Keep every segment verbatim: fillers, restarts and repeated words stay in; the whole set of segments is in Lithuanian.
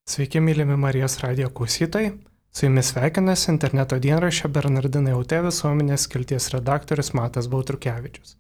Sveiki, mylimi Marijos radijo klausytojai. Su jumis sveikinasi interneto dienraščio Bernardinai L T visuomenės skilties redaktorius Matas Baltrukevičius.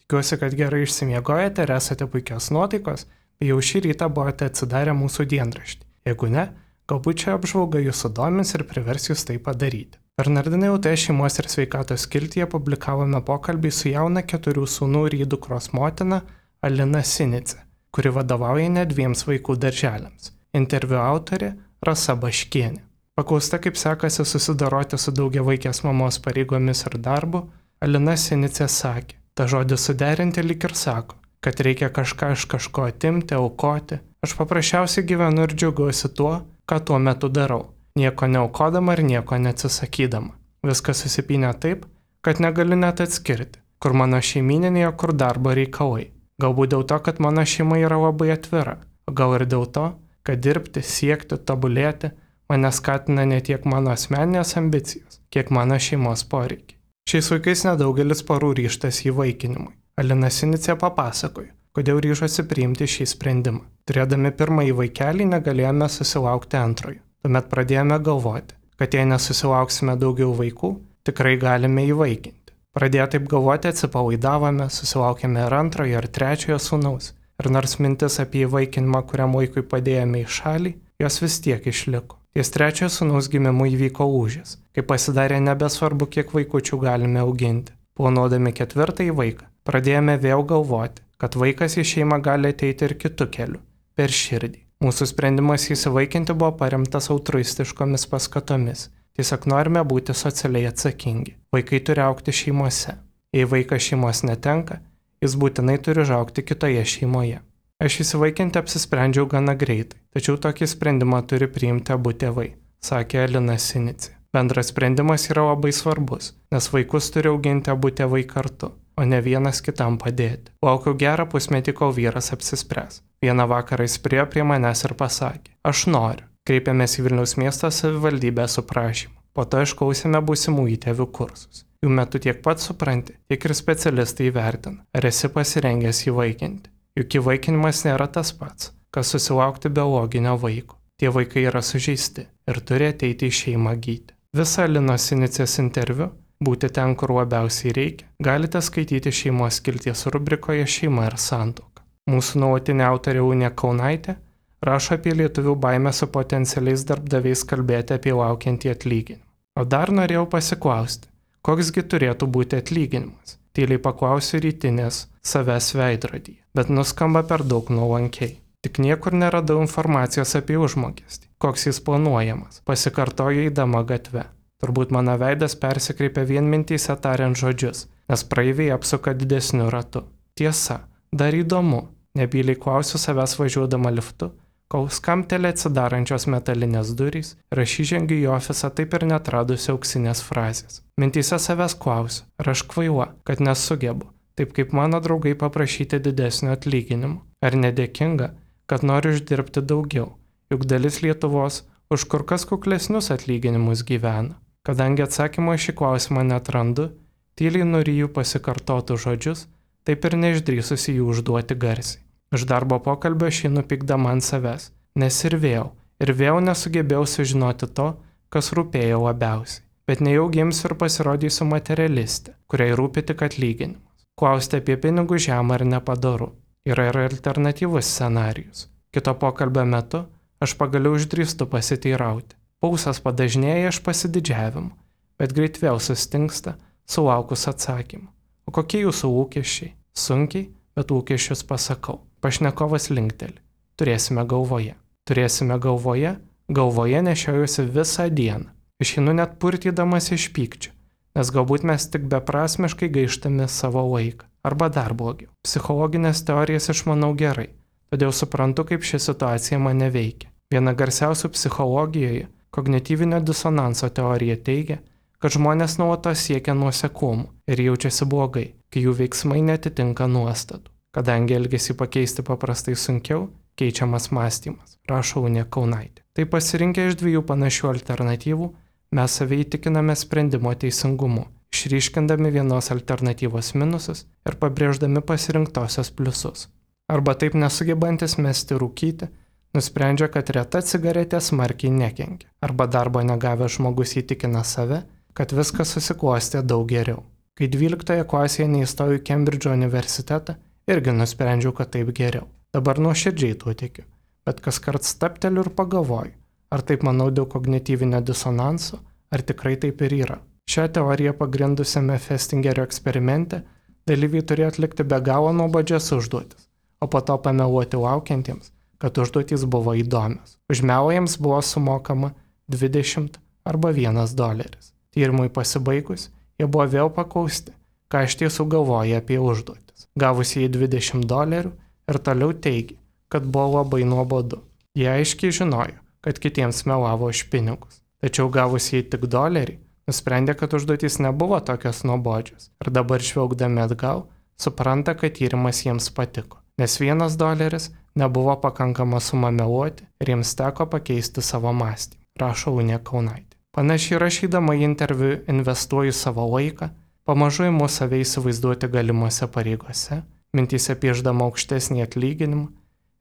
Tikiuosi, kad gerai išsimiegojate ir esate puikios nuotaikos, bei jau šį rytą buvote atsidarę mūsų dienraštį. Jeigu ne, galbūt čia apžvalga jūsų domins ir privers jūs tai padaryti. Bernardinai L T šeimos ir sveikatos skiltyje publikavome pokalbį su jauna keturių sūnų ir dukros motina Alina Sinicė, kuri vadovauja net dviems vaikų darželiams. Interviu autorė Rasa Baškienė. Paklausta, kaip sekasi susidoroti su daugiavaikės mamos pareigomis ir darbu, Alina Sinicė sakė, ta žodis suderinti lyg ir sako, kad reikia kažką iš kažko atimti, aukoti. Aš paprasčiausiai gyvenu ir džiaugiuosi tuo, ką tuo metu darau, nieko neaukodama ir nieko neatsisakydama. Viskas susipynė taip, kad negaliu net atskirti, kur mano šeimininėje, kur darbo reikalai. Galbūt dėl to, kad mano šeima yra labai atvira, o gal ir dėl to, kad dirbti, siekti, tobulėti mane skatina ne tiek mano asmeninės ambicijos, kiek mano šeimos poreikiai. Šiais laikais nedaugelis porų ryžtasi įvaikinimui. Alina Sinicė papasakojo, kodėl ryžosi priimti šį sprendimą. Turėdami pirmąjį vaikelį negalėjome susilaukti antrojo. Tuomet pradėjome galvoti, kad jei nesusilauksime daugiau vaikų, tikrai galime įvaikinti. Pradėję taip galvoti atsipalaidavome, susilaukėme ir antrojo, ir trečiojo sūnaus. Ir nors mintis apie įvaikinimą, kuriam vaikui padėjome į šalį, jos vis tiek išliko. Ties trečiojo sūnaus gimimu įvyko lūžis, kai pasidarė nebesvarbu, kiek vaikučių galime auginti. Planuodami ketvirtąjį vaiką, pradėjome vėl galvoti, kad vaikas į šeimą gali ateiti ir kitu keliu, per širdį. Mūsų sprendimas įsivaikinti buvo paremtas altruistiškomis paskatomis. Tiesiog norime būti socialiai atsakingi. Vaikai turi augti šeimose. Jei vaikas šeimos netenka, jis būtinai turi užaugti kitoje šeimoje. Aš įsivaikinti apsisprendžiau gana greitai, tačiau tokį sprendimą turi priimti abu tėvai, sakė Alina Sinicė. Bendras sprendimas yra labai svarbus, nes vaikus turi auginti abu tėvai kartu, o ne vienas kitam padėti. Laukiau gerą pusmetį, kol vyras apsispręs. Vieną vakarą jis priėjo prie manęs ir pasakė, aš noriu. Kreipėmės į Vilniaus miesto savivaldybę su prašymu. Po to išklausėme būsimų įtėvių kursus. Jų metu tiek pat supranti, tiek ir specialistai įvertina, ar esi pasirengęs įvaikinti. Juk įvaikinimas nėra tas pats, kas susilaukti biologinio vaiko. Tie vaikai yra sužeisti ir turi ateiti į šeimą gydyti. Visą Alinos Sinicės interviu, būti ten, kur labiausiai reikia, galite skaityti šeimos skilties rubrikoje Šeima ir santuoka. Mūsų nuolatinė autorė Unė Kaunaitė rašo apie lietuvių baimę su potencialiais darbdaviais kalbėti apie laukiantį atlyginimą. O dar norėjau pasiklausti, koksgi turėtų būti atlyginimas? Tyliai paklausiu rytinės savęs veidrodyje, bet nuskamba per daug nuolankiai. Tik niekur neradau informacijos apie užmokestį, koks jis planuojamas, pasikartoju eidama gatve. Turbūt mano veidas persikreipia vien mintyse tariant žodžius, nes praeiviai apsuka didesniu ratu. Tiesa, dar įdomu, nebyliai klausiu savęs važiuodama liftu, kol skamtelė atsidarančios metalinės durys ir aš įžengiu į ofisą taip ir netradusi auksinės frazės. Mintyse savęs klausiu, ar aš kvaila, kad nesugebu, taip kaip mano draugai paprašyti didesnio atlyginimo. Ar nedėkinga, kad noriu uždirbti daugiau, juk dalis Lietuvos už kur kas kuklesnius atlyginimus gyvena. Kadangi atsakymo šį klausimą netrandu, tyliai nuryju pasikartotų žodžius, taip ir neišdrįsusi jų užduoti garsiai. Iš darbo pokalbio šį pykdama ant savęs, nes ir vėl, ir vėl nesugebėjau sužinoti to, kas rūpėjo labiausiai. Bet nejau gimsiu ir pasirodysiu materialistė, kuriai rūpi tik atlyginimas. Klausti apie pinigų žemą ir nepadoru. Yra ir alternatyvus scenarijus. Kito pokalbio metu aš pagaliau išdrįstu pasiteirauti. Pulsas padažnėja iš pasididžiavimo, bet greit vėl sustingsta, sulaukus atsakymų. O kokie jūsų lūkesčiai? Sunkiai, bet lūkesčius pasakau. Pašnekovas linkteli. Turėsime galvoje. Turėsime galvoje, galvoje nešiojusi visą dieną. Išeinu net purtydamas iš pykčių, nes galbūt mes tik beprasmiškai gaištame savo laiką. Arba dar blogiau. Psichologinės teorijas išmanau gerai, todėl suprantu, kaip ši situacija mane veikia. Viena garsiausių psichologijoje, kognityvinio disonanso teorija teigia, kad žmonės nuolatos siekia nuoseklumų ir jaučiasi blogai, kai jų veiksmai netitinka nuostatų. Kadangi elgesį pakeisti paprastai sunkiau, keičiamas mąstymas, rašo Unė Kaunaitė. Tai pasirinkę iš dviejų panašių alternatyvų, mes save įtikiname sprendimo teisingumu, išryškindami vienos alternatyvos minusus ir pabrėždami pasirinktosios pliusus. Arba taip nesugebantis mesti rūkyti, Nusprendžia, kad reta cigaretė smarkiai nekenkia. Arba darbo negavęs žmogus įtikina save, kad viskas susiklostė daug geriau. Kai dvyliktoje klasėje neįstojau į Kembridžo universitetą, irgi nusprendžiau, kad taip geriau. Dabar nuoširdžiai tuo tikiu, bet kas kart stapteliu ir pagalvoju, ar taip manau dėl kognityvinio disonanso, ar tikrai taip ir yra. Šią teoriją pagrindusiame Festingerio eksperimente dalyviai turėjo atlikti be galo nuobodžias užduotis, o po to pameluoti laukiantiems, kad užduotys buvo įdomios. Už melą jiems buvo sumokama dvidešimt arba vienas doleris. Tyrimui pasibaigus, jie buvo vėl paklausti, ką iš tiesų galvoja apie užduotis. Gavusieji dvidešimt dolerių ir toliau teigė, kad buvo labai nuobodu. Jie aiškiai žinojo, kad kitiems melavo už pinigus. Tačiau gavusieji tik dolerį, nusprendė, kad užduotys nebuvo tokios nuobodžios. Ir dabar žvelgdami atgal, supranta, kad tyrimas jiems patiko. Nes vienas doleris nebuvo pakankama suma meluoti ir jiems teko pakeisti savo mąstymą, rašo Unė Kaunaitė. Panašiai rašydama į interviu investuoju savo laiką, pamažu imu save įsivaizduoti galimuose pareigose, mintyse piešdama aukštesnį atlyginimą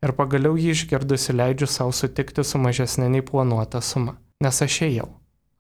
ir pagaliau jį išgirdusi leidžiu savo sutikti su mažesnė nei planuota suma. Nes aš ėjau,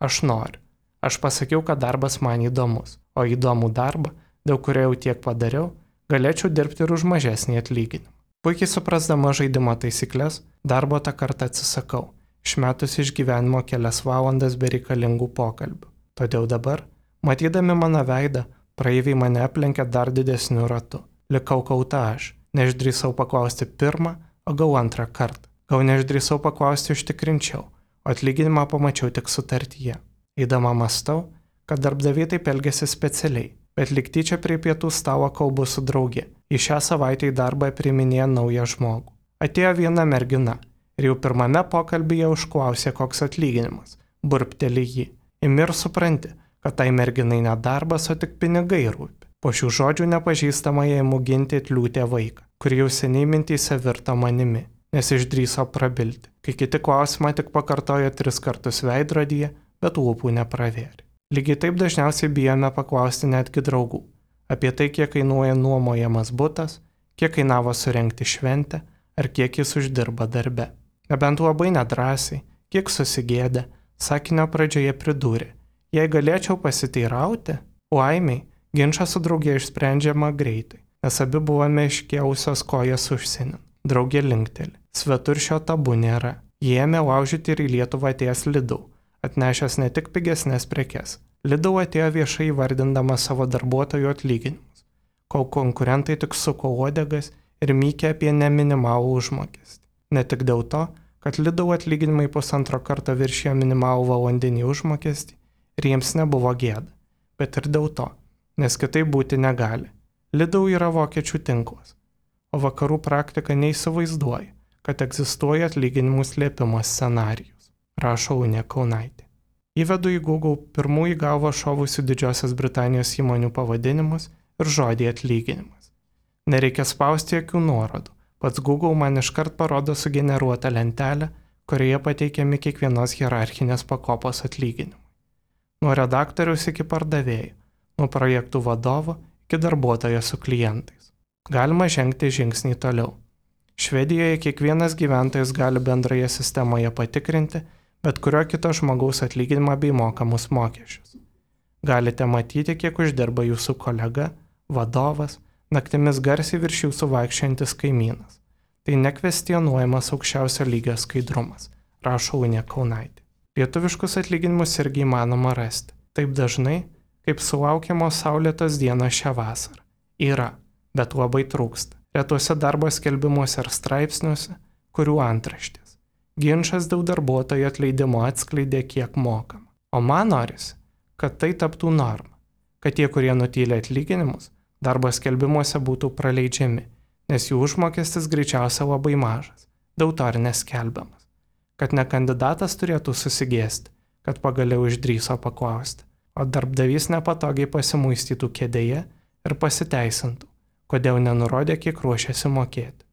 aš noriu, aš pasakiau, kad darbas man įdomus, o įdomų darbą, dėl kurio jau tiek padariau, galėčiau dirbti ir už mažesnį atlyginimą. Puikiai suprasdama žaidimo taisyklės, darbo tą kartą atsisakau, išmetus iš gyvenimo kelias valandas bereikalingų pokalbių. Todėl dabar, matydami mano veidą, praeiviai mane aplenkė dar didesniu ratu. Likau kauta aš, neišdrįsau paklausti pirmą, o gal antrą kartą. Gal neišdrįsau paklausti užtikrinčiau, o atlyginimą pamačiau tik sutartyje. Eidama mąstau, kad darbdaviai taip elgėsi specialiai, bet lyg tyčia prie pietų stalo kalbu su draugė. Į šią savaitę į darbą priiminėja naują žmogų. Atėjo viena mergina ir jau pirmame pokalbyje užklausė, koks atlyginimas. Burpteli jį. Imi ir supranti, kad tai merginai ne darbas, o tik pinigai rūpi. Po šių žodžių nepažįstama jai muginti atliūtė vaiką, kuri jau seniai mintyse virto manimi, nes išdrįso prabilti, kai kiti klausimą tik pakartojo tris kartus veidrodyje, bet lūpų nepravėrė. Lygiai taip dažniausiai bijome paklausti netgi draugų apie tai, kiek kainuoja nuomojamas butas, kiek kainavo surengti šventę ar kiek jis uždirba darbe. Nebent labai nedrąsiai, kiek susigėdė, sakinio pradžioje pridūrė, jei galėčiau pasiteirauti, laimiai, ginčą su draugė išsprendžiama greitai, nes abi buvome iškėlusios kojas užsienin. Draugė linkteli, svetur šio tabu nėra. Jie ėmė laužyti ir į Lietuvą atėjęs Lidl, atnešęs ne tik pigesnės prekes. Lidl atėjo viešai įvardindama savo darbuotojų atlyginimus, kol konkurentai tik suko uodegas ir mykė apie neminimalų užmokestį. Ne tik dėl to, kad Lidl atlyginimai pusantro karto viršijo minimalų valandinį užmokestį ir jiems nebuvo gėda, bet ir dėl to, nes kitaip būti negali. Lidl yra vokiečių tinklas, o vakarų praktika neįsivaizduoja, kad egzistuoja atlyginimų slėpimo scenarijus, rašo Unė Kaunaitė. Įvedu į Google pirmų į galvą šovusių Didžiosios Britanijos įmonių pavadinimus ir žodį atlyginimas. Nereikia spausti jokių nuorodų, pats Google man iškart parodo sugeneruotą lentelę, kurioje pateikiami kiekvienos hierarchinės pakopos atlyginimai. Nuo redaktoriaus iki pardavėjo, nuo projektų vadovo iki darbuotojo su klientais. Galima žengti žingsnį toliau. Švedijoje kiekvienas gyventojas gali bendroje sistemoje patikrinti bet kurio kito žmogaus atlyginimą bei mokamus mokesčius. Galite matyti, kiek uždirba jūsų kolega, vadovas, naktimis garsiai virš jūsų vaikščiantis kaimynas. Tai nekvestionuojamas aukščiausio lygio skaidrumas, rašo Unė Kaunaitė. Lietuviškus atlyginimus irgi įmanoma rasti. Taip dažnai, kaip sulaukiamos saulėtos dienos šią vasarą. Yra, bet labai trūksta. Retuose darbo skelbimuose ar straipsniuose, kurių antraštės. Ginčas dėl darbuotojo atleidimo atskleidė, kiek mokama. O man norisi, kad tai taptų norma, kad tie, kurie nutylė atlyginimus, darbo skelbimuose būtų praleidžiami, nes jų užmokestis greičiausia labai mažas, dėl to ir neskelbiamas. Kad ne kandidatas turėtų susigėsti, kad pagaliau išdrįso paklausti, o darbdavys nepatogiai pasimuistytų kėdėje ir pasiteisintų, kodėl nenurodė, kiek ruošiasi mokėti.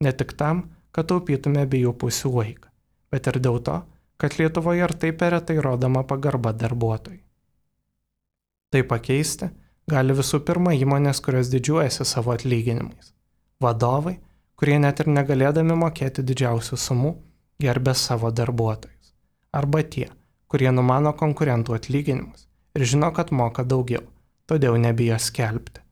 Ne tik tam, kad taupytume abiejų pusių laiką, bet ir dėl to, kad Lietuvoje ir taip per retai rodoma pagarba darbuotojui. Tai pakeisti gali visų pirma įmonės, kurios didžiuojasi savo atlyginimais. Vadovai, kurie net ir negalėdami mokėti didžiausių sumų, gerbė savo darbuotojus. Arba tie, kurie numano konkurentų atlyginimus ir žino, kad moka daugiau, todėl nebijo skelbti.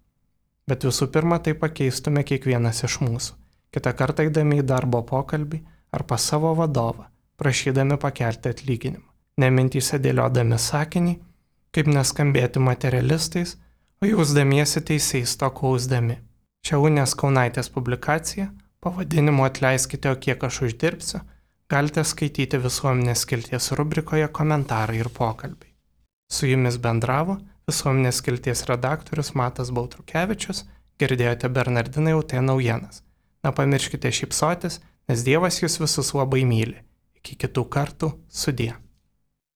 Bet visų pirma, tai pakeistume kiekvienas iš mūsų, kitą kartą eidami į darbo pokalbį ar pas savo vadovą, prašydami pakelti atlyginimą, nemintyse dėliodami sakinį, kaip neskambėti materialistais, o jausdamiesi teisiais to klausdami. Šią Unės Kaunaitės publikaciją, pavadinimu Atleiskite, o kiek aš uždirbsiu, galite skaityti Visuomenės skilties rubrikoje Komentarai ir pokalbiai. Su jumis bendravo Visuomenės skilties redaktorius Matas Baltrukevičius, girdėjote Bernardinai Lt naujienas. Nepamirškite šypsotis, nes Dievas jūs visus labai myli. Iki kitų kartų, sudie.